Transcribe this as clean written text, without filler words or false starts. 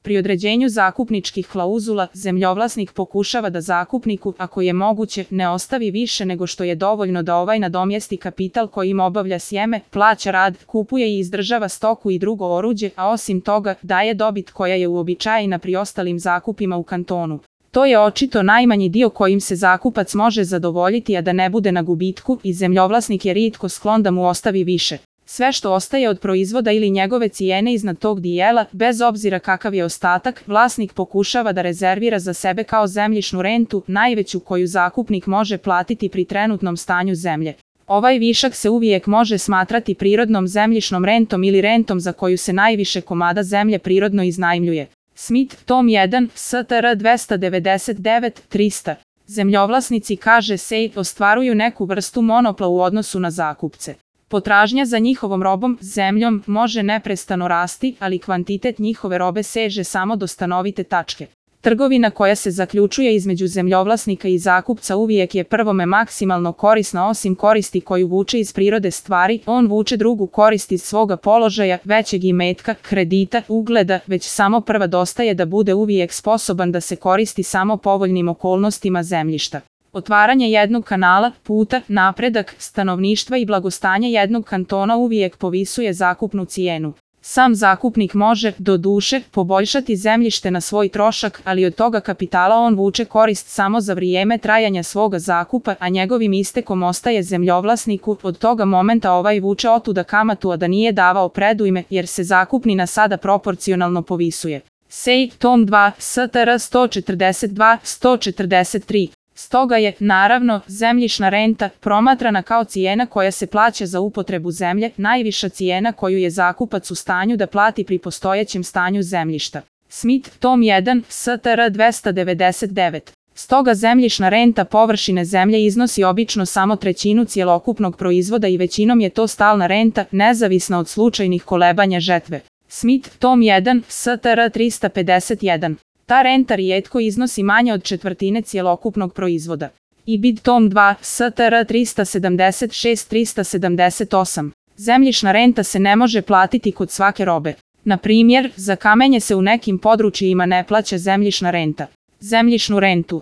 Pri određenju zakupničkih klauzula, zemljovlasnik pokušava da zakupniku, ako je moguće, ne ostavi više nego što je dovoljno da ovaj nadomjesti kapital kojim obavlja sjeme, plaća rad, kupuje i izdržava stoku i drugo oruđe, a osim toga, daje dobit koja je uobičajena pri ostalim zakupima u kantonu. To je očito najmanji dio kojim se zakupac može zadovoljiti, a da ne bude na gubitku, i zemljovlasnik je rijetko sklon da mu ostavi više. Sve što ostaje od proizvoda ili njegove cijene iznad tog dijela, bez obzira kakav je ostatak, vlasnik pokušava da rezervira za sebe kao zemljišnu rentu, najveću koju zakupnik može platiti pri trenutnom stanju zemlje. Ovaj višak se uvijek može smatrati prirodnom zemljišnom rentom ili rentom za koju se najviše komada zemlje prirodno iznajmljuje. Smith, tom 1, STR 299-300. Zemljovlasnici, kaže se, ostvaruju neku vrstu monopla u odnosu na zakupce. Potražnja za njihovom robom, zemljom, može neprestano rasti, ali kvantitet njihove robe seže samo do stanovite tačke. Trgovina koja se zaključuje između zemljovlasnika i zakupca uvijek je prvome maksimalno korisna, osim koristi koju vuče iz prirode stvari, on vuče drugu korist iz svoga položaja, većeg imetka, kredita, ugleda, već samo prva dostaje da bude uvijek sposoban da se koristi samo povoljnim okolnostima zemljišta. Otvaranje jednog kanala, puta, napredak, stanovništva i blagostanje jednog kantona uvijek povisuje zakupnu cijenu. Sam zakupnik može, doduše, poboljšati zemljište na svoj trošak, ali od toga kapitala on vuče korist samo za vrijeme trajanja svoga zakupa, a njegovim istekom ostaje zemljovlasniku, od toga momenta ovaj vuče otuda kamatu, a da nije davao predujme, jer se zakupnina sada proporcionalno povisuje. Sej, tom 2, STR 142-143. Stoga je, naravno, zemljišna renta, promatrana kao cijena koja se plaća za upotrebu zemlje, najviša cijena koju je zakupac u stanju da plati pri postojećem stanju zemljišta. Smith, tom 1, STR 299. Stoga zemljišna renta površine zemlje iznosi obično samo trećinu cjelokupnog proizvoda i većinom je to stalna renta, nezavisna od slučajnih kolebanja žetve. Smith, tom 1, STR 351. Ta renta rijetko iznosi manje od četvrtine cjelokupnog proizvoda. IBID tom 2, STR 376-378. Zemljišna renta se ne može platiti kod svake robe. Na primjer, za kamenje se u nekim područjima ne plaća zemljišna renta. Zemljišnu rentu